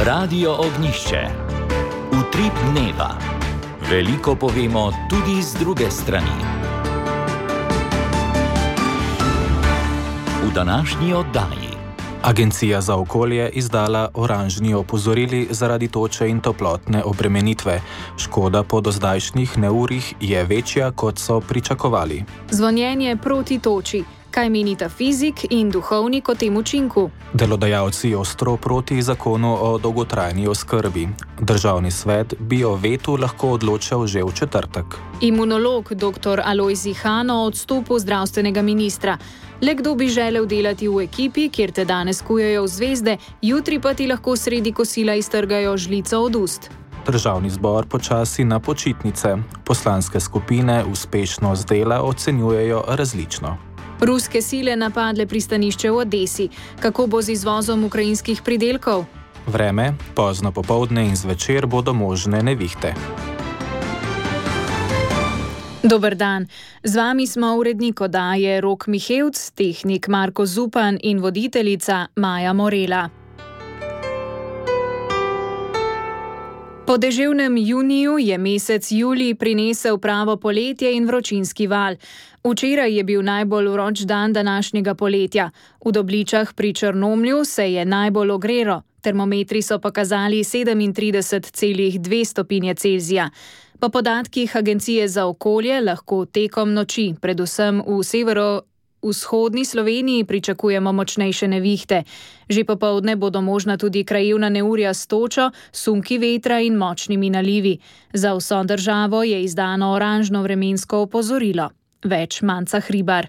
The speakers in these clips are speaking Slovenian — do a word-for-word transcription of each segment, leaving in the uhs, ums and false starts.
Radio Ognjišče. Utrip dneva. Veliko povemo tudi z druge strani. V današnji oddaji. Agencija za okolje izdala oranžni opozorili zaradi toče in toplotne obremenitve. Škoda po dozdajšnjih neurjih je večja, kot so pričakovali. Zvonjenje proti toči. Kaj menita fizik in duhovnik o tem učinku? Delodajalci ostro proti zakonu o dolgotrajni oskrbi. Državni svet bi o vetu lahko odločal že v četrtek. Imunolog dr. Alojzij Han o odstopu zdravstvenega ministra. Le kdo bi želel delati v ekipi, kjer te danes kujejo v zvezde, jutri pa ti lahko sredi kosila iztrgajo žlico od ust. Državni zbor počasi na počitnice. Poslanske skupine uspešnost dela ocenjujejo različno. Ruske sile napadle pristanišče v Odesi. Kako bo z izvozom ukrajinskih pridelkov? Vreme, pozno popoldne in zvečer bodo možne nevihte. Dober dan. Z vami smo urednik oddaje Rok Mihevc, tehnik Marko Zupan in voditeljica Maja Morela. Po deževnem juniju je mesec julij prinesel pravo poletje in vročinski val. Včeraj je bil najbolj vroč dan današnjega poletja. V Dobličah pri Črnomlju se je najbolj ogrelo. Termometri so pokazali sedemintrideset celih dve stopinje Celzija. Po podatkih Agencije za okolje lahko tekom noči, predvsem v severovzhodni Sloveniji, pričakujemo močnejše nevihte. Že popoldne bodo možna tudi krajevna neurja s točo, sunki vetra in močnimi nalivi. Za vso državo je izdano oranžno vremensko opozorilo. Več Manca Hribar.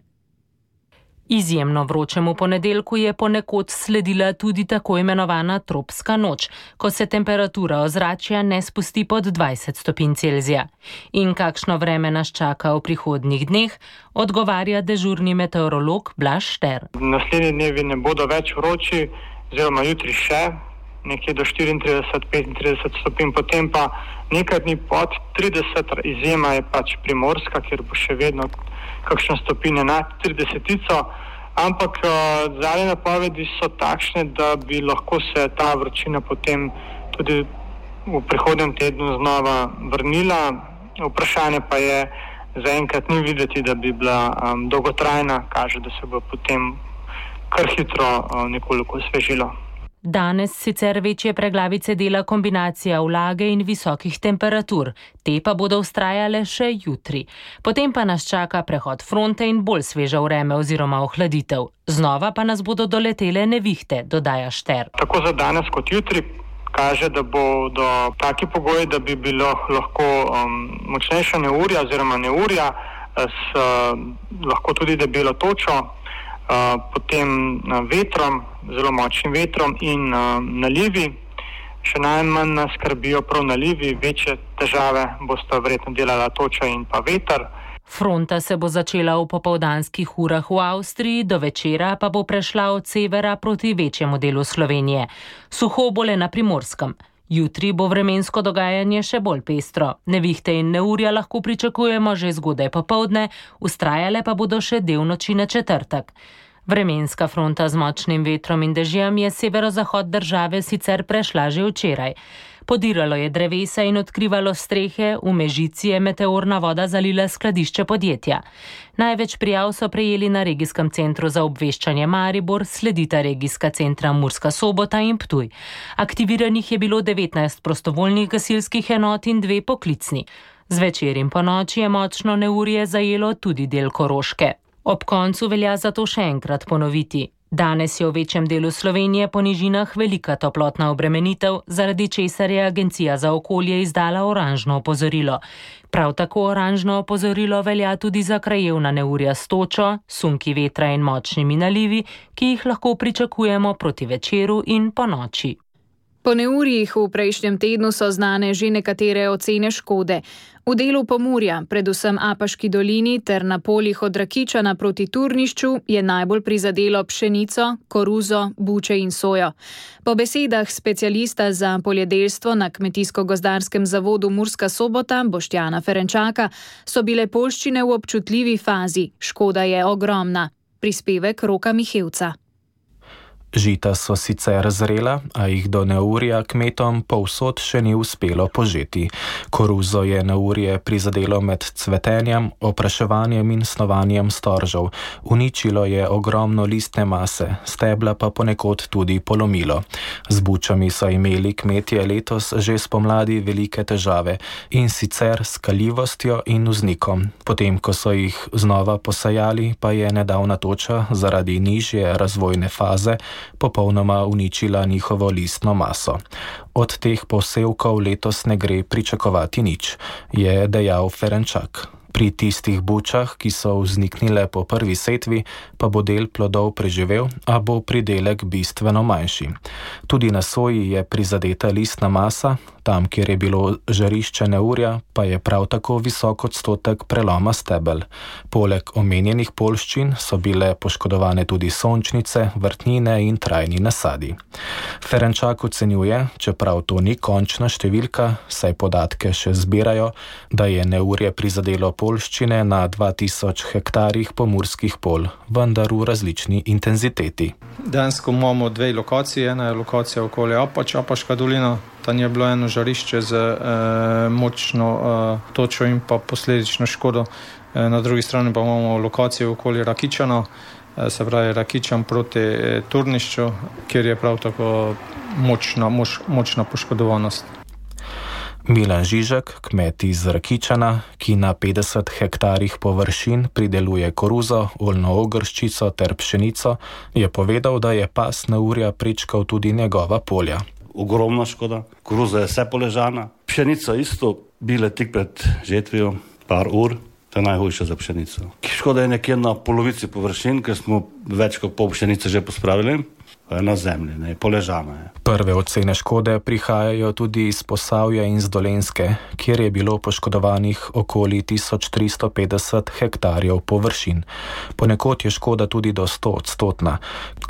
Izjemno vročemu ponedeljku je ponekod sledila tudi tako imenovana tropska noč, ko se temperatura ozračja ne spusti pod dvajset stopinj Celzija. In kakšno vreme nas čaka v prihodnjih dneh, odgovarja dežurni meteorolog Blaž Šter. Naslednji dnevi ne bodo več vroči, oziroma jutri še, nekje do štiriintrideset do petintrideset stopinj, potem pa nekaj dni pod trideset, izjema je pač Primorska, kjer bo še vedno kakšno stopinje nad tridesetico, ampak uh, zadnje napovedi so takšne, da bi lahko se ta vročina potem tudi v prihodnjem tednu znova vrnila. Vprašanje pa je, zaenkrat ni videti, da bi bila um, dolgotrajna, kaže, da se bo potem kar hitro uh, nekoliko osvežilo. Danes sicer večje preglavice dela kombinacija vlage in visokih temperatur, te pa bodo vztrajale še jutri. Potem pa nas čaka prehod fronte in bolj sveža vreme oziroma ohladitev. Znova pa nas bodo doletele nevihte, dodaja Šter. Tako za danes kot jutri kaže, da bodo taki pogoji, da bi bilo lahko um, močnejša neurja oziroma neurja s uh, lahko tudi debelo točo, Uh, potem uh, vetrom, zelo močnim vetrom in uh, nalivi. Še najmanj nas skrbijo prav nalivi, večje težave bosta verjetno delala toča in pa veter. Fronta se bo začela v popoldanskih urah v Avstriji, do večera pa bo prešla od severa proti večjemu delu Slovenije. Suho bo le na Primorskem. Jutri bo vremensko dogajanje še bolj pestro. Nevihte in neurja lahko pričakujemo že zgodaj popoldne, vztrajale pa bodo še del noči na četrtek. Vremenska fronta z močnim vetrom in dežjem je severozahod države sicer prešla že včeraj. Podiralo je drevesa in odkrivalo strehe, v Mežici je meteorna voda zalila skladišče podjetja. Največ prijav so prejeli na regijskem centru za obveščanje Maribor, sledita regijska centra Murska Sobota in Ptuj. Aktiviranih je bilo devetnajst prostovoljnih gasilskih enot in dve poklicni. Zvečer in ponoči je močno neurje zajelo tudi del Koroške. Ob koncu velja zato še enkrat ponoviti. Danes je v večjem delu Slovenije po nižinah velika toplotna obremenitev, zaradi česar je Agencija za okolje izdala oranžno opozorilo. Prav tako oranžno opozorilo velja tudi za krajevna neurja s točo, sunki vetra in močnimi nalivi, ki jih lahko pričakujemo proti večeru in ponoči. Po neurjih v prejšnjem tednu so znane že nekatere ocene škode. V delu Pomurja, predvsem Apaški dolini ter na poljih od Rakičana proti Turnišču, je najbolj prizadelo pšenico, koruzo, buče in sojo. Po besedah specialista za poljedelstvo na Kmetijsko-gozdarskem zavodu Murska Sobota Boštjana Ferenčaka so bile poljščine v občutljivi fazi. Škoda je ogromna. Prispevek Roka Mihevca. Žita so sicer zrela, a jih do neurja kmetom povsod še ni uspelo požeti. Koruzo je neurje prizadelo med cvetenjem, opraševanjem in snovanjem storžev. Uničilo je ogromno listne mase, stebla pa ponekod tudi polomilo. Z bučami so imeli kmetje letos že spomladi velike težave, in sicer s kaljivostjo in vznikom. Potem, ko so jih znova posajali, pa je nedavna toča zaradi nižje razvojne faze popolnoma uničila njihovo listno maso. Od teh posevkov letos ne gre pričakovati nič, je dejal Ferenčak. Pri tistih bučah, ki so vzniknile po prvi setvi, pa bo del plodov preživel, a bo pridelek bistveno manjši. Tudi na soji je prizadeta listna masa, tam, kjer je bilo žarišče neurja, pa je prav tako visok odstotek preloma stebel. Poleg omenjenih poljščin so bile poškodovane tudi sončnice, vrtnine in trajni nasadi. Ferenčak ocenjuje, čeprav to ni končna številka, saj podatke še zbirajo, da je neurje prizadelo poljščine na dva tisoč hektarjih pomurskih polj, vendar v različni intenziteti. Dejansko imamo dve lokaciji, ena je lokacija okoli Apač, Apaška dolina. Tam je bilo eno žarišče z eh, močno eh, točo in pa posledično škodo. Eh, na drugi strani pa imamo lokacijo okoli Rakičana, eh, se pravi Rakičan proti eh, Turnišču, kjer je prav tako močna, moč, močna poškodovanost. Milan Žižek, kmet iz Rakičana, ki na petdeset hektarjih površin prideluje koruzo, oljno ogrščico ter pšenico, je povedal, da je pas neurja prečkal tudi njegova polja. Ogromna škoda, koruza je vse poležana, pšenica isto, bile tik pred žetvijo, par ur, to je najhujše za pšenico. Škoda je nekje na polovici površin, ker smo več kot pol pšenice že pospravili, na zemlji, ne, poležana je. Prve ocene škode prihajajo tudi iz Posavja in z Dolenjske, kjer je bilo poškodovanih okoli tisoč tristo petdeset hektarjev površin. Ponekod je škoda tudi do sto odstotna.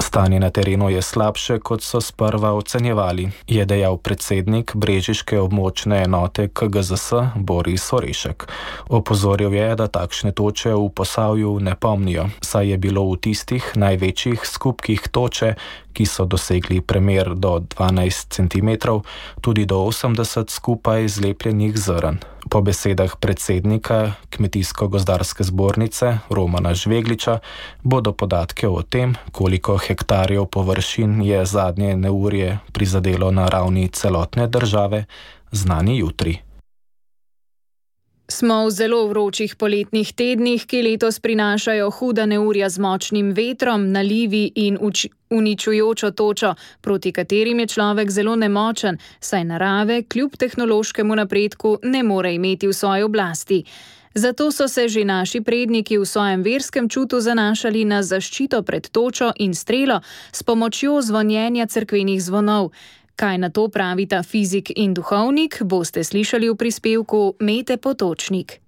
Stanje na terenu je slabše, kot so sprva ocenjevali, je dejal predsednik brežiške območne enote K G Z S Boris Orešek. Opozoril je, da takšne toče v Posavju ne pomnijo, saj je bilo v tistih največjih skupkih toče, ki so dosegli premer do dvanajst centimetrov, tudi do osemdeset skupaj zlepljenih zrn. Po besedah predsednika Kmetijsko-gozdarske zbornice Romana Žvegliča bodo podatke o tem, koliko hektarjev površin je zadnje neurje prizadelo na ravni celotne države, znani jutri. Smo v zelo vročih poletnih tednih, ki letos prinašajo huda neurja z močnim vetrom, nalivi in uč- uničujočo točo, proti katerim je človek zelo nemočen, saj narave kljub tehnološkemu napredku ne more imeti v svoji oblasti. Zato so se že naši predniki v svojem verskem čutu zanašali na zaščito pred točo in strelo s pomočjo zvonjenja cerkvenih zvonov. Kaj na to pravita fizik in duhovnik, boste slišali v prispevku Mete Potočnik.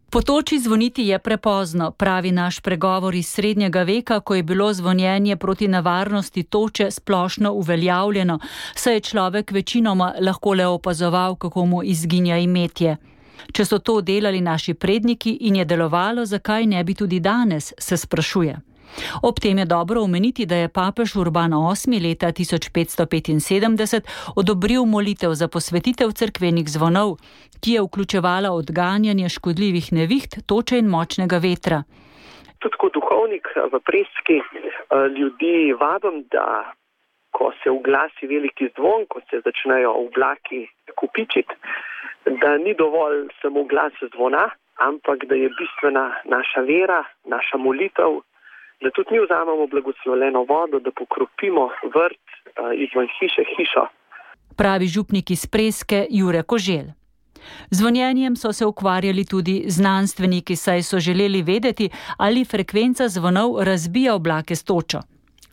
Po toči zvoniti je prepozno, pravi naš pregovor iz srednjega veka, ko je bilo zvonjenje proti nevarnosti toče splošno uveljavljeno, saj je človek večinoma lahko le opazoval, kako mu izginja imetje. Če so to delali naši predniki in je delovalo, zakaj ne bi tudi danes, se sprašuje. Ob tem je dobro omeniti, da je papež Urban osmi leta tisoč petsto petinsedemdeset odobril molitev za posvetitev cerkvenih zvonov, ki je vključevala odganjanje škodljivih neviht, toče in močnega vetra. Tudi kot duhovnik v Preski ljudi vabim, da ko se uglasi veliki zvon, ko se začnejo oblaki kopičiti, da ni dovolj samo glas zvona, ampak da je bistvena naša vera, naša molitev, da tudi mi vzamemo blagoslovljeno vodo, da pokropimo vrt izven hiše hišo. Pravi župnik iz Preske Jure Koželj. Zvonjenjem so se ukvarjali tudi znanstveniki, saj so želeli vedeti, ali frekvenca zvonov razbija oblake s točo.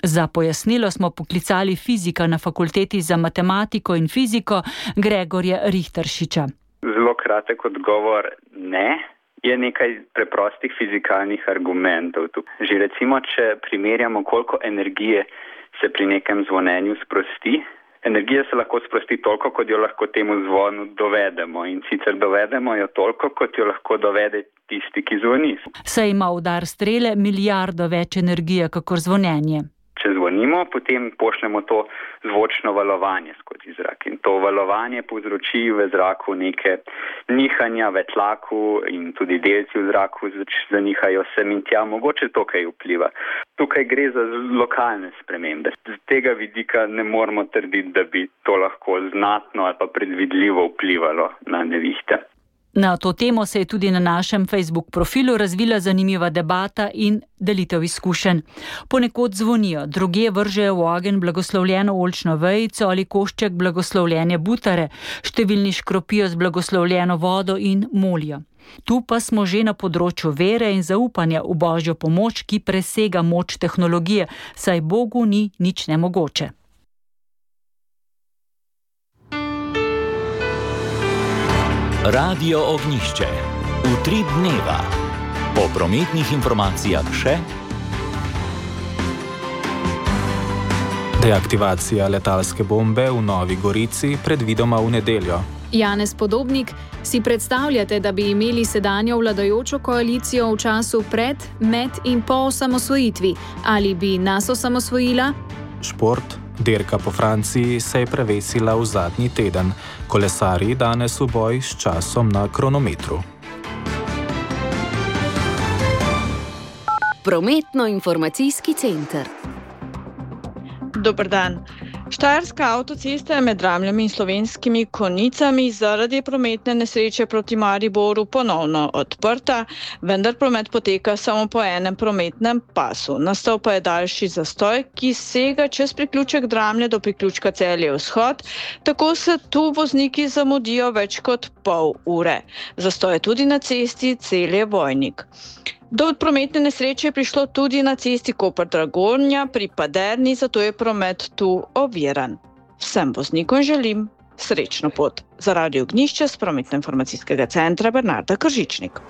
Za pojasnilo smo poklicali fizika na fakulteti za matematiko in fiziko Gregorja Richteršiča. Zelo kratek odgovor ne. Je nekaj preprostih fizikalnih argumentov tu. Že recimo, če primerjamo, koliko energije se pri nekem zvonjenju sprosti, energija se lahko sprosti toliko, kot jo lahko temu zvonu dovedemo. In sicer dovedemo jo toliko, kot jo lahko dovede tisti, ki zvoni. Saj ima udar strele milijardo več energije, kakor zvonjenje. Če zvonimo, potem pošljemo to zvočno valovanje skozi zrak in to valovanje povzroči v zraku neke nihanja v tlaku in tudi delci v zraku zanihajo sem in tja, mogoče to kaj vpliva. Tukaj gre za lokalne spremembe. Z tega vidika ne moramo trditi, da bi to lahko znatno ali pa predvidljivo vplivalo na nevihte. Na to temo se je tudi na našem Facebook profilu razvila zanimiva debata in delitev izkušenj. Ponekod zvonijo, drugje vržejo v ogenj blagoslovljeno oljčno vejico ali košček blagoslovljene butare, številni škropijo z blagoslovljeno vodo in molijo. Tu pa smo že na področju vere in zaupanja v Božjo pomoč, ki presega moč tehnologije, saj Bogu ni nič nemogoče. Radio Ognjišče. Utrip dneva. Po prometnih informacijah še. Deaktivacija letalske bombe v Novi Gorici predvidoma v nedeljo. Janez Podobnik, si predstavljate, da bi imeli sedanjo vladajočo koalicijo v času pred, med in po osamosvojitvi? Ali bi nas osamosvojila? Šport. Dirka po Franciji se je prevesila v zadnji teden. Kolesarji danes v boj s časom na kronometru. Prometno-informacijski center. Dober dan. Štajerska avtocesta je med Dramljami in Slovenskimi Konjicami zaradi prometne nesreče proti Mariboru ponovno odprta, vendar promet poteka samo po enem prometnem pasu. Nastal pa je daljši zastoj, ki sega čez priključek Dramlje do priključka Celje Vzhod, tako se tu vozniki zamudijo več kot pol ure. Zastoj je tudi na cesti Celje Vojnik. Do prometne nesreče je prišlo tudi na cesti Koper-Dragonja pri Paderni, zato je promet tu oviran. Vsem voznikom želim srečno pot. Za Radio Ognjišče s Prometno-informacijskega centra Bernarda Kržičnik.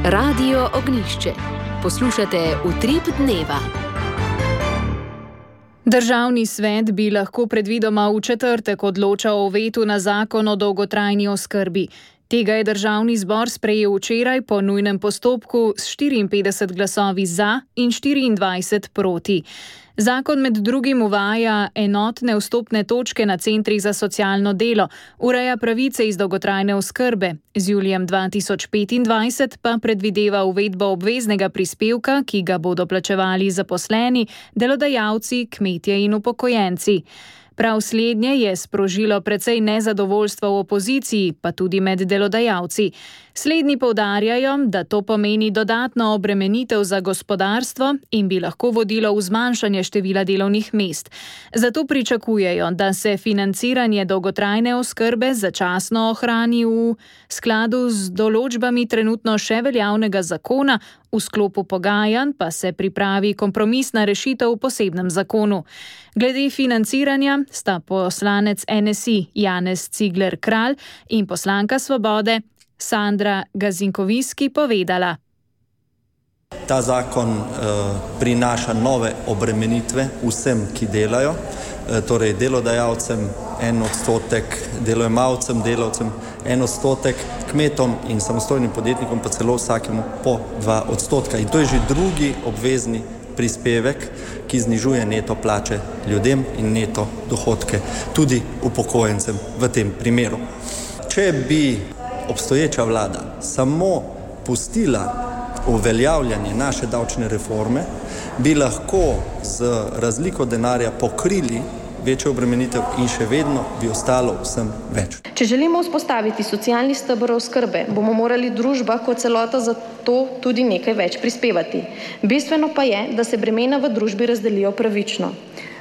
Radio Ognjišče. Poslušate Utrip dneva. Državni svet bi lahko predvidoma v četrtek odločal o vetu na zakon o dolgotrajni oskrbi. Tega je državni zbor sprejel včeraj po nujnem postopku s štiriinpetdeset glasovi za in štiriindvajset proti. Zakon med drugim uvaja enotne vstopne točke na centrih za socialno delo, ureja pravice iz dolgotrajne oskrbe, z julijem dva tisoč petindvajset pa predvideva uvedbo obveznega prispevka, ki ga bodo plačevali zaposleni, delodajalci, kmetje in upokojenci. Prav slednje je sprožilo precej nezadovoljstva v opoziciji, pa tudi med delodajalci. Slednji poudarjajo, da to pomeni dodatno obremenitev za gospodarstvo in bi lahko vodilo v zmanjšanje števila delovnih mest. Zato pričakujejo, da se financiranje dolgotrajne oskrbe začasno ohrani v skladu z določbami trenutno še veljavnega zakona, v sklopu pogajanj pa se pripravi kompromisna rešitev v posebnem zakonu. Glede financiranja sta poslanec N S I Janez Cigler Kralj in poslanka Svobode Sandra Gazinkoviski povedala. Ta zakon eh, prinaša nove obremenitve vsem, ki delajo, eh, torej delodajalcem en odstotek, delojemalcem, delavcem en odstotek, kmetom in samostojnim podjetnikom pa celo vsakemu po dva odstotka. In to je že drugi obvezni prispevek, ki znižuje neto plače ljudem in neto dohodke tudi upokojencem v tem primeru. Če bi obstoječa vlada samo pustila uveljavljanje naše davčne reforme, bi lahko z razliko denarja pokrili večjo obremenitev in še vedno bi ostalo vsem več. Če želimo vzpostaviti socialni steber oskrbe, bomo morali družba kot celota za to tudi nekaj več prispevati. Bistveno pa je, da se bremena v družbi razdelijo pravično.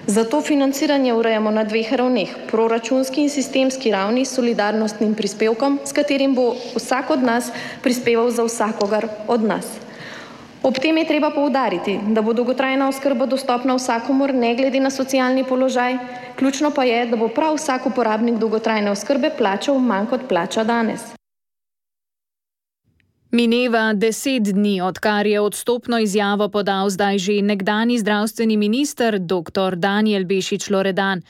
Zato financiranje urejamo na dveh ravneh, proračunski in sistemski ravni s solidarnostnim prispevkom, s katerim bo vsak od nas prispeval za vsakogar od nas. Ob tem je treba poudariti, da bo dolgotrajna oskrba dostopna vsakomur ne glede na socialni položaj, ključno pa je, da bo prav vsak uporabnik dolgotrajne oskrbe plačal manj kot plača danes. Mineva deset dni, odkar je odstopno izjavo podal zdaj že nekdanji zdravstveni minister dr. Danijel Bešič Loredan.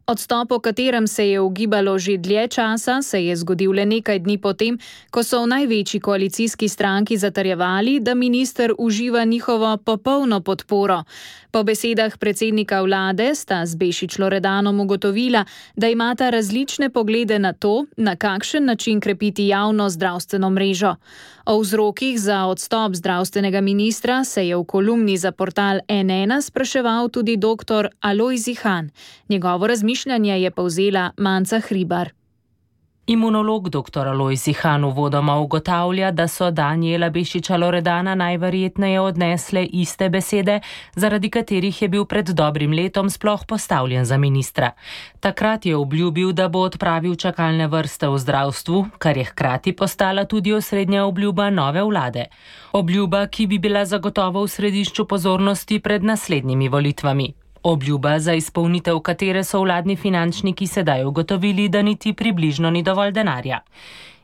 Odstop, o katerem se je ugibalo že dlje časa, se je zgodil le nekaj dni potem, ko so v največji koalicijski stranki zatrjevali, da minister uživa njihovo popolno podporo. Po besedah predsednika vlade sta z Bešič Loredanom ugotovila, da imata različne poglede na to, na kakšen način krepiti javno zdravstveno mrežo. O vzrokih za odstop zdravstvenega ministra se je v kolumni za portal N ena spraševal tudi doktor Alojz Ihan. Njegovo razmišljanje je povzela Manca Hribar. Imunolog doktor Alojz Ihan uvodoma ugotavlja, da so Danijela Bešiča Loredana najverjetneje odnesle iste besede, zaradi katerih je bil pred dobrim letom sploh postavljen za ministra. Takrat je obljubil, da bo odpravil čakalne vrste v zdravstvu, kar je hkrati postala tudi osrednja obljuba nove vlade. Obljuba, ki bi bila zagotovo v središču pozornosti pred naslednjimi volitvami. Obljuba, za izpolnitev katere so vladni finančniki sedaj ugotovili, da niti približno ni dovolj denarja.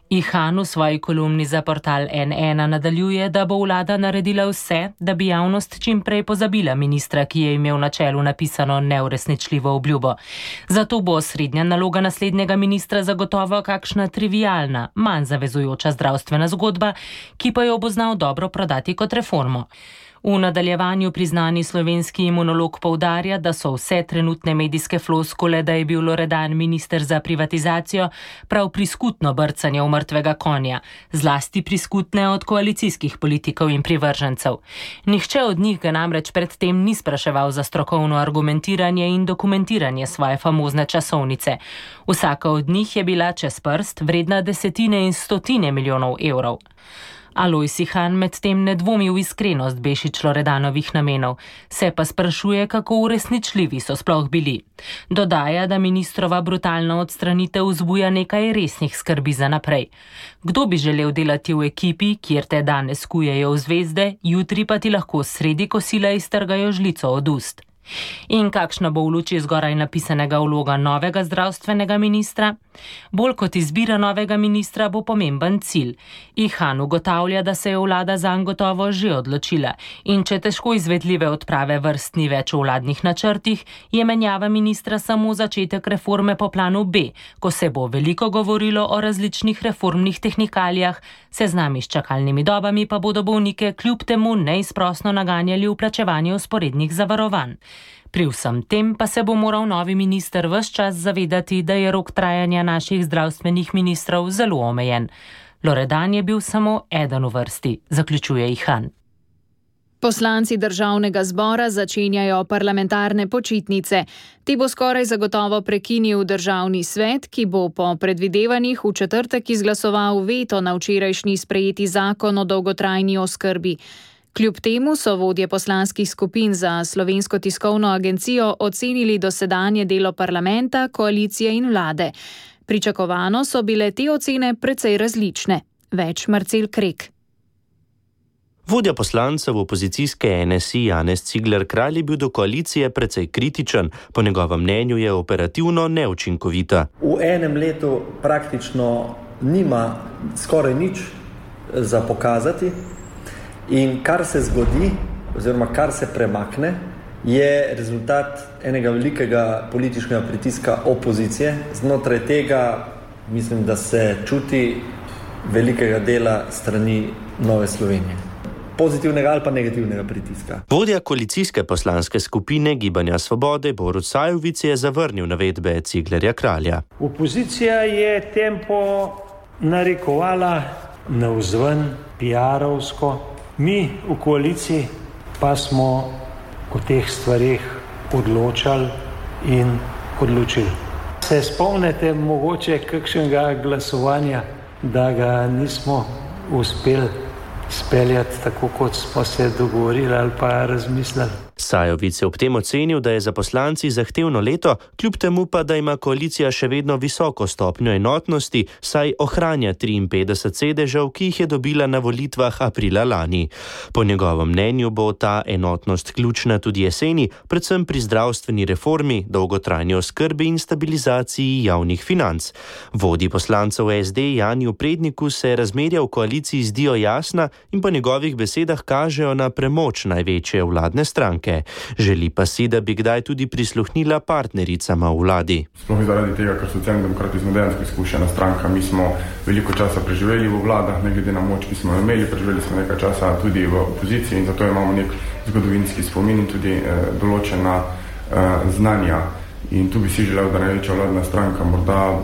Ihan v svoji kolumni za portal N ena nadaljuje, da bo vlada naredila vse, da bi javnost čim prej pozabila ministra, ki je imel na čelu napisano neuresničljivo obljubo. Zato bo osrednja naloga naslednjega ministra zagotovo kakšna trivialna, manj zavezujoča zdravstvena zgodba, ki pa jo bo znal dobro prodati kot reformo. V nadaljevanju priznani slovenski imunolog poudarja, da so vse trenutne medijske floskule, da je bil Loredan minister za privatizacijo, prav priskutno brcanje v mrtvega konja, zlasti priskutne od koalicijskih politikov in privržencev. Nihče od njih ga namreč predtem ni spraševal za strokovno argumentiranje in dokumentiranje svoje famozne časovnice. Vsaka od njih je bila čez prst vredna desetine in stotine milijonov evrov. Alojz Ihan medtem ne dvomi v iskrenost Bešič Loredanovih namenov, se pa sprašuje, kako uresničljivi so sploh bili. Dodaja, da ministrova brutalna odstranitev vzbuja nekaj resnih skrbi za naprej. Kdo bi želel delati v ekipi, kjer te danes kujejo v zvezde, jutri pa ti lahko sredi kosila iztrgajo žlico od ust? In kakšna bo v luči zgoraj napisanega vloga novega zdravstvenega ministra? Bolj kot izbira novega ministra bo pomemben cilj. Ihan ugotavlja, da se je vlada zanj gotovo že odločila in če težko izvedljive odprave vrst ni več v vladnih načrtih, je menjava ministra samo začetek reforme po planu B, ko se bo veliko govorilo o različnih reformnih tehnikalijah, seznami s čakalnimi dobami pa bodo bolnike kljub temu neizprosno naganjali v plačevanje vzporednih zavarovanj. Pri vsem tem pa se bo moral novi minister ves čas zavedati, da je rok trajanja naših zdravstvenih ministrov zelo omejen. Loredan je bil samo eden v vrsti, zaključuje Ihan. Poslanci državnega zbora začenjajo parlamentarne počitnice. Te bo skoraj zagotovo prekinil državni svet, ki bo po predvidevanjih v četrtek izglasoval veto na včerajšnji sprejeti zakon o dolgotrajni oskrbi. Kljub temu so vodje poslanskih skupin za Slovensko tiskovno agencijo ocenili dosedanje delo parlamenta, koalicije in vlade. Pričakovano so bile te ocene precej različne. Več Marcel Krek. Vodja poslancev opozicijske N S I Janez Cigler Kralj je bil do koalicije precej kritičen, po njegovem mnenju je operativno neučinkovita. V enem letu praktično nima skoraj nič za pokazati. In kar se zgodi, oziroma kar se premakne, je rezultat enega velikega političnega pritiska opozicije. Znotraj tega mislim, da se čuti velikega dela strani Nove Slovenije. Pozitivnega ali pa negativnega pritiska. Vodja koalicijske poslanske skupine Gibanja Svobode Borut Sajovic je zavrnil navedbe Ciglerja Kralja. Opozicija je tempo narekovala navzven, piarovsko. Mi v koaliciji pa smo o teh stvarih odločali in odločili. Se spomnite mogoče kakšnega glasovanja, da ga nismo uspeli speljati tako, kot smo se dogovorili ali pa razmislili? Sajovic je ob tem ocenil, da je za poslanci zahtevno leto, kljub temu pa, da ima koalicija še vedno visoko stopnjo enotnosti, saj ohranja triinpetdeset sedežev, ki jih je dobila na volitvah aprila lani. Po njegovem mnenju bo ta enotnost ključna tudi jeseni, predvsem pri zdravstveni reformi, dolgotrajni oskrbi in stabilizaciji javnih financ. Vodji poslancev S D Janiju Predniku se razmerja v koaliciji zdijo jasna in po njegovih besedah kažejo na premoč največje vladne stranke. stranke. Želi pa si, da bi kdaj tudi prisluhnila partnericama v vladi. Sploh zaradi tega, ker Socialni demokrati smo dejansko izkušena stranka. Mi smo veliko časa preživeli v vladah, ne glede na moč, ki smo imeli, preživeli smo nekaj časa tudi v opoziciji in zato imamo nek zgodovinski spomin in tudi eh, določena eh, znanja. In tu bi si želel, da največja vladna stranka morda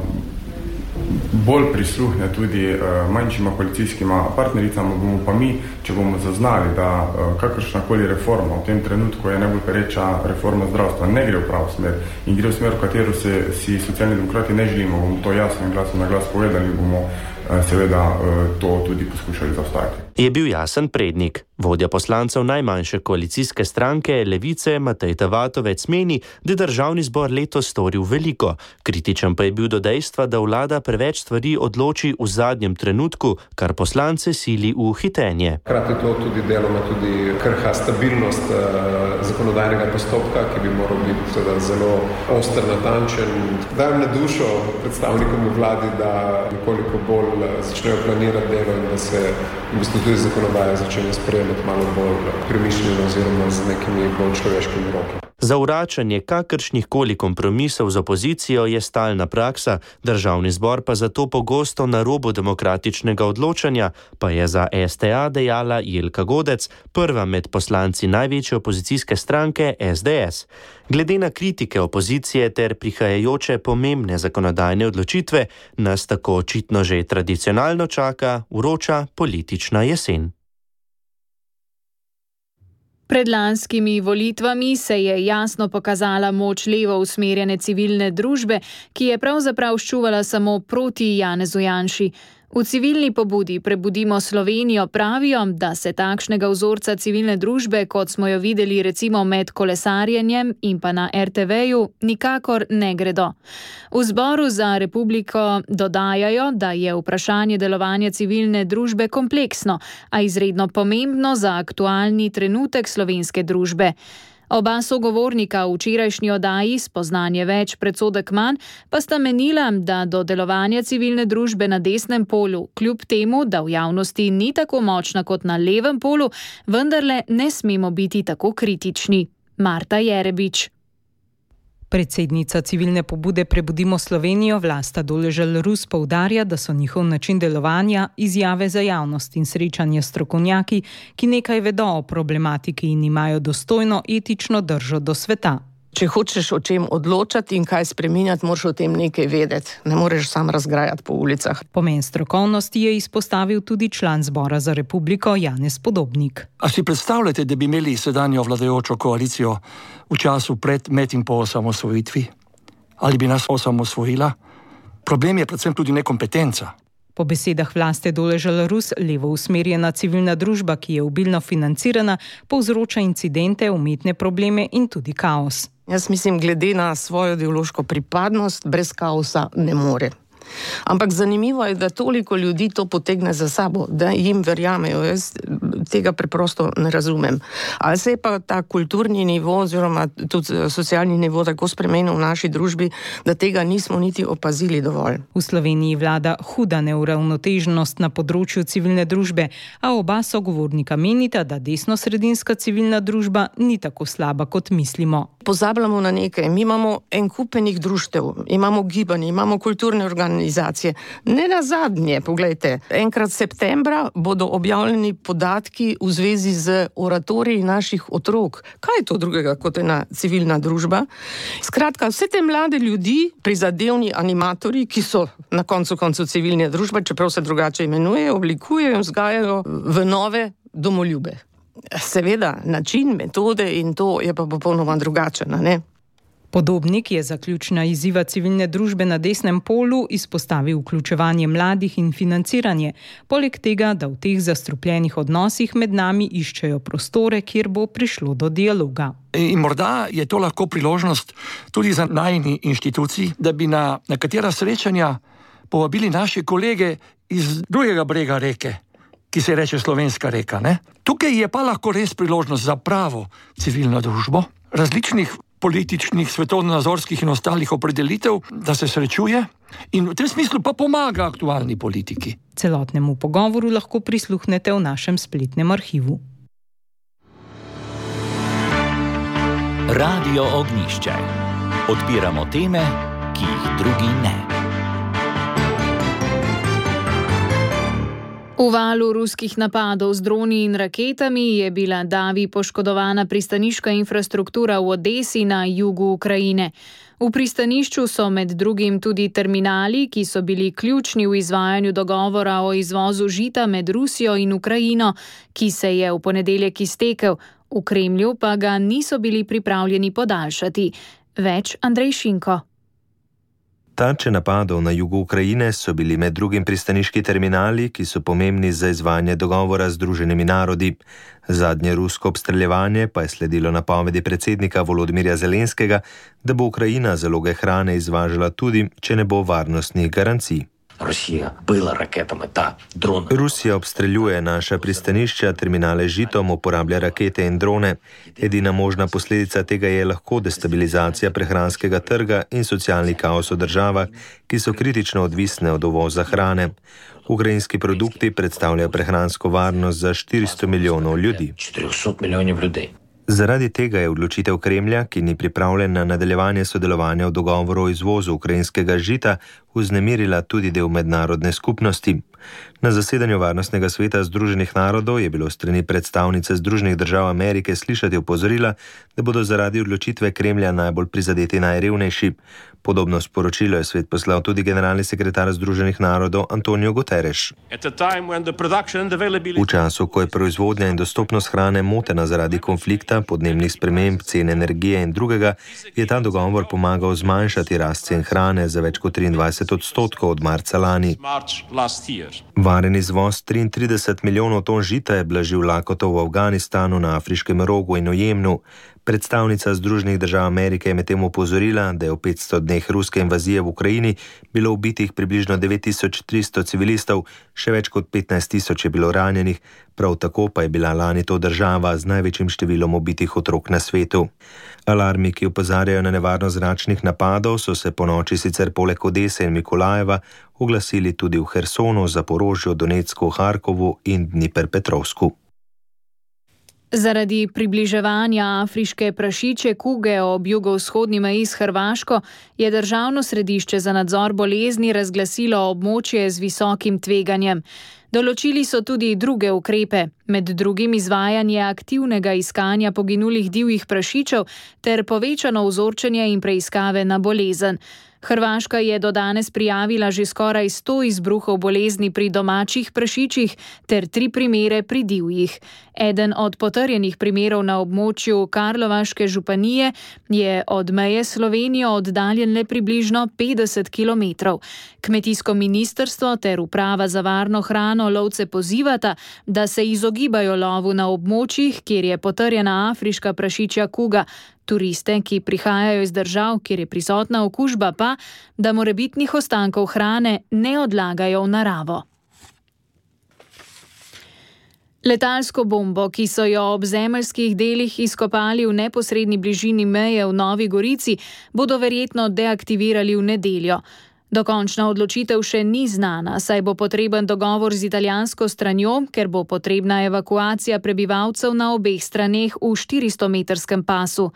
bolj prisluhne tudi uh, manjšima koalicijskima partnericama, bomo pa mi, če bomo zaznali, da uh, kakršnakoli reforma v tem trenutku je najbolj pereča reforma zdravstva, ne gre v pravo smer in gre v smer, v katero se, si Socialni demokrati ne želimo, bomo to jasno in glasno na glas povedali, bomo uh, seveda uh, to tudi poskušali zastaviti. Je bil Jasen Prednik. Vodja poslancev najmanjše koalicijske stranke Levice Matej Tavatovec meni, da je državni zbor letos storil veliko. Kritičen pa je bil do dejstva, da vlada preveč stvari odloči v zadnjem trenutku, kar poslance sili v hitenje. Hkrati to tudi deloma tudi krha stabilnost uh, zakonodajnega postopka, ki bi moral biti teda zelo oster, natančen. Dajem na dušo predstavnikom v vladi, da nekoliko bolj začnejo planirati delo in da se v bistvu tudi zakonodaja začne sprejemati malo bolj premišljeno oziroma z nekimi bolj človeškimi roki. Zavračanje kakršnih koli kompromisov z opozicijo je stalna praksa, državni zbor pa zato pogosto na robu demokratičnega odločanja, pa je za S T A dejala Jelka Godec, prva med poslanci največje opozicijske stranke S D S. Glede na kritike opozicije ter prihajajoče pomembne zakonodajne odločitve, nas tako očitno že tradicionalno čaka vroča politična jesen. Pred lanskimi volitvami se je jasno pokazala moč levo usmerjene civilne družbe, ki je pravzaprav ščuvala samo proti Janezu Janši. V civilni pobudi Prebudimo Slovenijo pravijo, da se takšnega vzorca civilne družbe, kot smo jo videli recimo med kolesarjenjem in pa na R T V-ju, nikakor ne gredo. V Zboru za Republiko dodajajo, da je vprašanje delovanja civilne družbe kompleksno, a izredno pomembno za aktualni trenutek slovenske družbe. Oba sogovornika v včerajšnji oddaji Spoznanje več, predsodek manj, pa sta menila, da do delovanja civilne družbe na desnem polu, kljub temu, da v javnosti ni tako močna kot na levem polu, vendarle ne smemo biti tako kritični. Marta Jerebič. Predsednica civilne pobude Prebudimo Slovenijo Vlasta Doležal-Rus poudarja, da so njihov način delovanja izjave za javnost in srečanje s strokovnjaki, ki nekaj vedo o problematiki in imajo dostojno etično držo do sveta. Če hočeš o čem odločati in kaj spreminjati, moraš o tem nekaj vedeti. Ne moreš sam razgrajati po ulicah. Pomen strokovnosti je izpostavil tudi član Zbora za Republiko Janez Podobnik. A si predstavljate, da bi imeli sedanjo vladajočo koalicijo v času pred, med in po osamosvojitvi? Ali bi nas osamosvojila? Problem je predvsem tudi nekompetenca. Po besedah Vlaste Doležal-Rus, levo usmerjena civilna družba, ki je obilno financirana, povzroča incidente, umetne probleme in tudi kaos. Jaz mislim, glede na svojo ideološko pripadnost, brez kaosa ne more. Ampak zanimivo je, da toliko ljudi to potegne za sabo, da jim verjamejo. Jaz tega preprosto ne razumem. Ali se je pa ta kulturni nivo oziroma tudi socialni nivo tako spremenil v naši družbi, da tega nismo niti opazili dovolj. V Sloveniji vlada huda neuravnoteženost na področju civilne družbe, a oba sogovornika menita, da desnosredinska civilna družba ni tako slaba, kot mislimo. Pozabljamo na nekaj. Mi imamo en kupenih društev, imamo gibanje, imamo kulturne organizacije. Ne nazadnje, poglejte, enkrat septembra bodo objavljeni podatki v zvezi z oratoriji naših otrok. Kaj je to drugega kot ena civilna družba? Skratka, vse te mlade ljudi, prizadevni animatorji, ki so na koncu koncu civilne družbe, čeprav se drugače imenujejo, oblikujejo in vzgajajo v nove domoljube. Seveda, način, metode in to je pa popolnoma drugačen, ne? Podobnik je za ključna izziva civilne družbe na desnem polu izpostavil vključevanje mladih in financiranje, poleg tega, da v teh zastrupljenih odnosih med nami iščejo prostore, kjer bo prišlo do dialoga. In morda je to lahko priložnost tudi za najini inštitucij, da bi na nekatera srečanja povabili naše kolege iz drugega brega reke, ki se reče Slovenska reka, ne? Tukaj je pa lahko res priložnost za pravo civilno družbo, različnih političnih, svetovnonazorskih in ostalih opredelitev, da se srečuje in v tem smislu pa pomaga aktualni politiki. Celotnemu pogovoru lahko prisluhnete v našem spletnem arhivu. Radio Ognišče. Odpiramo teme, ki jih drugi ne. V valu ruskih napadov z droni in raketami je bila davi poškodovana pristaniška infrastruktura v Odesi na jugu Ukrajine. V pristanišču so med drugim tudi terminali, ki so bili ključni v izvajanju dogovora o izvozu žita med Rusijo in Ukrajino, ki se je v ponedeljek iztekel. V Kremlju pa ga niso bili pripravljeni podaljšati. Več Andrej Šinko. Tarče napadov na jugu Ukrajine so bili med drugim pristaniški terminali, ki so pomembni za izvajanje dogovora z Združenimi narodi. Zadnje rusko obstreljevanje pa je sledilo napovedi predsednika Volodymyrja Zelenskega, da bo Ukrajina zaloge hrane izvažala tudi, če ne bo varnostnih garancij. Rusija bila raketami ta drone. Rusija obstreljuje naša pristanišča, terminale z žitom, uporablja rakete in drone. Edina možna posledica tega je lahko destabilizacija prehranskega trga in socialni kaos v državah, ki so kritično odvisne od uvoza hrane. Ukrajinski produkti predstavljajo prehransko varnost za štiristo milijonov ljudi. štiristo milijonov ljudi. Zaradi tega je odločitev Kremlja, ki ni pripravljen na nadaljevanje sodelovanja v dogovoru o izvozu ukrajinskega žita, vznemirila tudi del mednarodne skupnosti. Na zasedanju Varnostnega sveta Združenih narodov je bilo strani predstavnice Združenih držav Amerike slišati opozorila, da bodo zaradi odločitve Kremlja najbolj prizadeti najrevnejši. Podobno sporočilo je svet poslal tudi generalni sekretar Združenih narodov Antonio Guterres. V času, ko je proizvodnja in dostopnost hrane motena zaradi konflikta, podnebnih sprememb, cen energije in drugega, je ta dogovor pomagal zmanjšati rast cen hrane za več kot triindvajset odstotkov od marca lani. Varen izvoz triintrideset milijonov ton žita je blažil lakoto v Afganistanu, na Afriškem rogu in v Jemnu. Predstavnica Združenih držav Amerike je medtem opozorila, da je v petsto dneh ruske invazije v Ukrajini bilo ubitih približno devet tisoč tristo civilistov, še več kot petnajst tisoč je bilo ranjenih, prav tako pa je bila lani to država z največjim številom ubitih otrok na svetu. Alarmi, ki opozarjajo na nevarnost zračnih napadov, so se ponoči sicer poleg Odese in Mikolajeva oglasili tudi v Hersonu, Zaporožju, Donecku, Harkovu in Dnipropetrovsku. Zaradi približevanja afriške prašičje kuge ob jugovzhodni meji s Hrvaško je Državno središče za nadzor bolezni razglasilo območje z visokim tveganjem. Določili so tudi druge ukrepe, med drugim izvajanje aktivnega iskanja poginulih divjih prašičev ter povečano vzorčenje in preiskave na bolezen. Hrvaška je do danes prijavila že skoraj sto izbruhov bolezni pri domačih prašičih ter tri primere pri divjih. Eden od potrjenih primerov na območju Karlovaške županije je od meje Slovenijo oddaljen le približno petdeset kilometrov. Kmetijsko ministrstvo ter uprava za varno hrano lovce pozivata, da se izogibajo lovu na območjih, kjer je potrjena afriška prašičja kuga. Turiste, ki prihajajo iz držav, kjer je prisotna okužba, pa, da morebitnih ostankov hrane ne odlagajo v naravo. Letalsko bombo, ki so jo ob zemeljskih delih izkopali v neposredni bližini meje v Novi Gorici, bodo verjetno deaktivirali v nedeljo. Dokončna odločitev še ni znana, saj bo potreben dogovor z italijansko stranjo, ker bo potrebna evakuacija prebivalcev na obeh straneh v štiristometrskem pasu.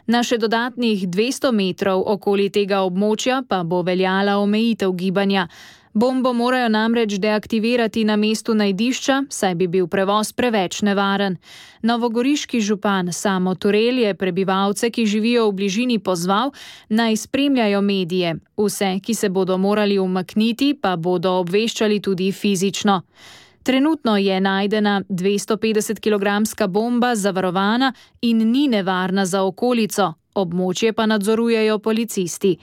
Na še dodatnih dvesto metrov okoli tega območja pa bo veljala omejitev gibanja. Bombo morajo namreč deaktivirati na mestu najdišča, saj bi bil prevoz preveč nevaren. Novogoriški župan Samo Turel je prebivalce, ki živijo v bližini, pozval, naj spremljajo medije. Vse, ki se bodo morali umakniti, pa bodo obveščali tudi fizično. Trenutno je najdena dvestopetdesetkilogramska bomba zavarovana in ni nevarna za okolico, območje pa nadzorujejo policisti.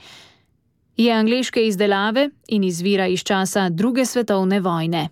Je angleške izdelave in izvira iz časa druge svetovne vojne.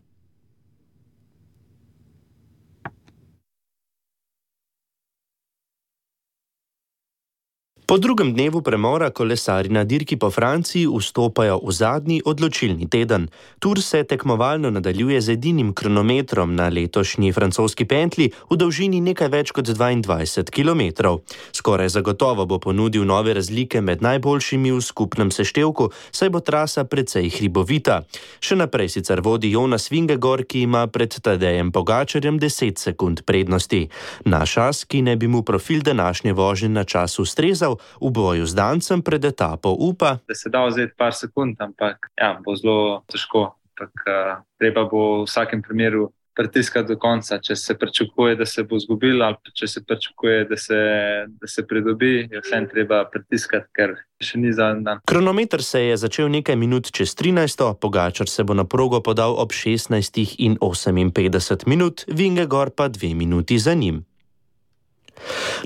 Po drugem dnevu premora kolesarji na dirki po Franciji vstopajo v zadnji odločilni teden. Tour se tekmovalno nadaljuje z edinim kronometrom na letošnji francoski pentli v dolžini nekaj več kot dvaindvajset kilometrov. Skoraj zagotovo bo ponudil nove razlike med najboljšimi v skupnem seštevku, saj bo trasa precej hribovita. Še naprej sicer vodi Jonas Vingegaard, ki ima pred Tadejem Pogačarjem deset sekund prednosti. Naš as, ki ne bi mu profil današnje vožnje na čas ustrezal, v boju z Dancem pred etapo upa, da se da vzeti par sekund, ampak ja, bo zelo težko. Ampak, uh, treba bo v vsakem primeru pritiskati do konca. Če se pričakuje, da se bo zgubil, ali če se pričakuje, da se, da se pridobi, je vsem treba pritiskati, ker še ni zadnji dan. Kronometer se je začel nekaj minut čez trinajsto, Pogačar se bo na progo podal ob šestnajstih in oseminpetdeset minut, Vingegaard pa dve minuti za njim.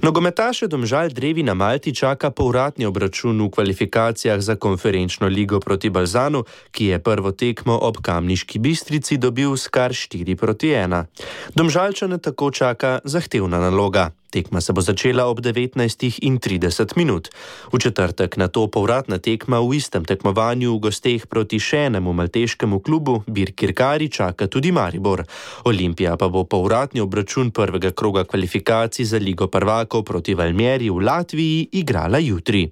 Nogometaše Domžal Drevi na Malti čaka povratni obračun v kvalifikacijah za konferenčno ligo proti Balzanu, ki je prvo tekmo ob Kamniški Bistrici dobil s kar štiri proti ena. Domžalčane tako čaka zahtevna naloga. Tekma se bo začela ob devetnajstih in trideset minut. V četrtek nato povratna tekma v istem tekmovanju v gosteh proti še enemu malteškemu klubu Birkirkari čaka tudi Maribor. Olimpija pa bo povratni obračun prvega kroga kvalifikacij za Ligo prvakov proti Valmieri v Latviji igrala jutri.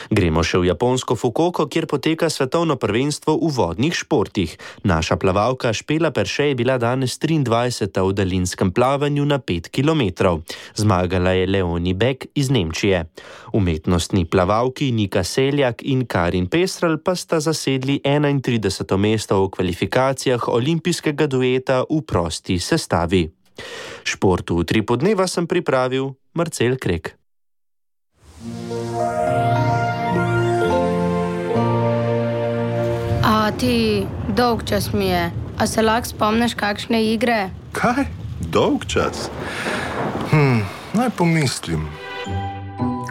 Gremo še v japonsko Fukuoko, kjer poteka svetovno prvenstvo v vodnih športih. Naša plavalka Špela Perše je bila danes triindvajseta v daljinskem plavanju na pet kilometrov. Zmagala je Leonie Beck iz Nemčije. Umetnostni plavalki Nika Seljak in Karin Pestrel pa sta zasedli enaintrideseto mesto v kvalifikacijah olimpijskega dueta v prosti sestavi. Športu v Tripu dneva sem pripravil Marcel Krek. A ti, dolg čas mi je. A se lahko spomniš kakšne igre? Kaj? Dolg čas? Hm, naj pomislim.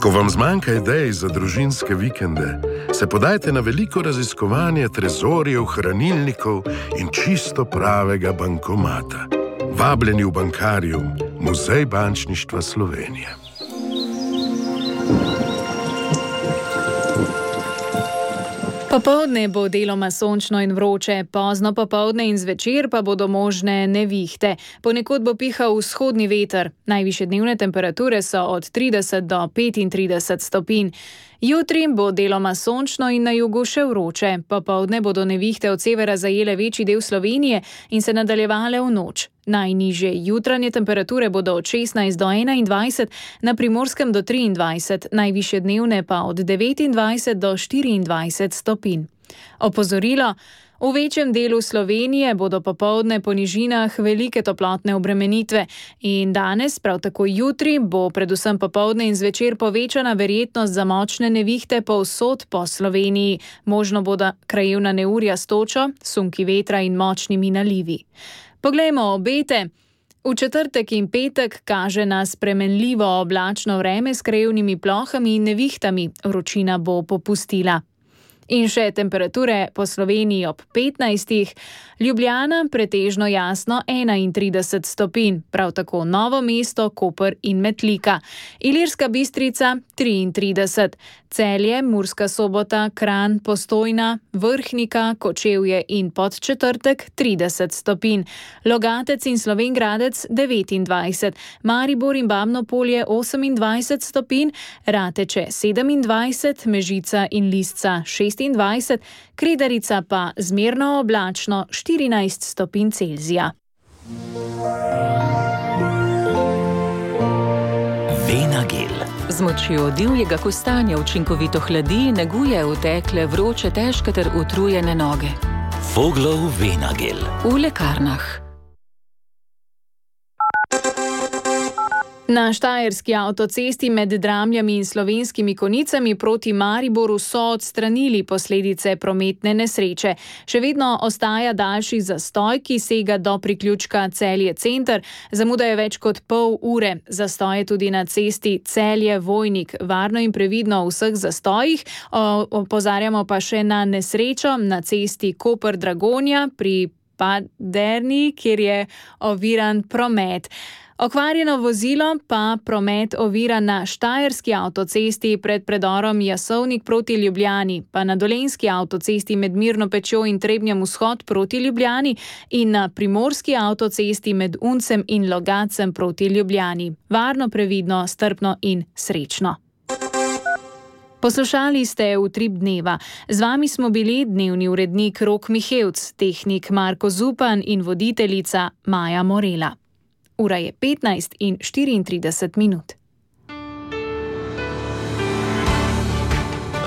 Ko vam zmanjka idej za družinske vikende, se podajte na veliko raziskovanje trezorjev, hranilnikov in čisto pravega bankomata. Vabljeni v Bankarium, Muzej bančništva Slovenije. Popoldne bo deloma sončno in vroče, pozno popoldne in zvečer pa bodo možne nevihte. Ponekod bo pihal vzhodni veter. Najvišje dnevne temperature so od trideset do petintrideset stopinj. Jutri bo deloma sončno in na jugu še vroče. Popoldne bodo nevihte od severa zajele večji del Slovenije in se nadaljevale v noč. Najnižje jutranje temperature bodo od šestnajst do enaindvajset, na Primorskem do triindvajset, najvišje dnevne pa od devetindvajset do štiriindvajset stopinj. Opozorilo: v večjem delu Slovenije bodo popoldne po nižinah velike toplotne obremenitve in danes, prav tako jutri, bo predvsem popoldne in zvečer povečana verjetnost za močne nevihte povsod po Sloveniji. Možno bodo krajevna neurja s točo, sunki vetra in močnimi nalivi. Poglejmo obete. V četrtek in petek kaže na spremenljivo oblačno vreme s krajevnimi plohami in nevihtami. Vročina bo popustila. In še temperature po Sloveniji ob petnajstih, Ljubljana pretežno jasno enaintrideset stopinj, prav tako Novo mesto, Koper in Metlika, Ilirska Bistrica triintrideset, Celje, Murska Sobota, Kranj, Postojna, Vrhnika, Kočevje in Podčetrtek trideset stopinj, Logatec in Slovenj Gradec devetindvajset, Maribor in Babno Polje osemindvajset stopinj, Rateče sedemindvajset, Mežica in Lisca šestindvajset, Kredarica pa zmerno oblačno štirinajst stopinj Celzija. Venagel. Z močjo divjega kostanja učinkovito hladi, neguje utekle, vroče, težke ter utrujene noge. Voglov Venagel. V lekarnah. Na štajerski avtocesti med Dramljami in Slovenskimi Konjicami proti Mariboru so odstranili posledice prometne nesreče. Še vedno ostaja daljši zastoj, ki sega do priključka Celje center. Zamuda je več kot pol ure. Zastoj je tudi na cesti Celje-Vojnik. Varno in previdno v vseh zastojih. Opozarjamo pa še na nesrečo na cesti Koper-Dragonja pri Paderni, kjer je oviran promet. Okvarjeno vozilo pa promet ovira na štajerski avtocesti pred predorom Jasovnik proti Ljubljani, pa na dolenjski avtocesti med Mirno Pečjo in Trebnjem vzhod proti Ljubljani in na primorski avtocesti med Uncem in Logacem proti Ljubljani. Varno, previdno, strpno in srečno. Poslušali ste Utrip dneva. Z vami smo bili dnevni urednik Rok Mihevc, tehnik Marko Zupan in voditeljica Maja Morela. Ura je petnajst in štiriintrideset minut.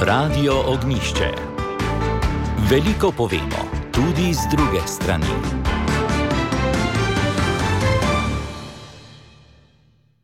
Radio Ognjišče. Veliko povemo, tudi z druge strani.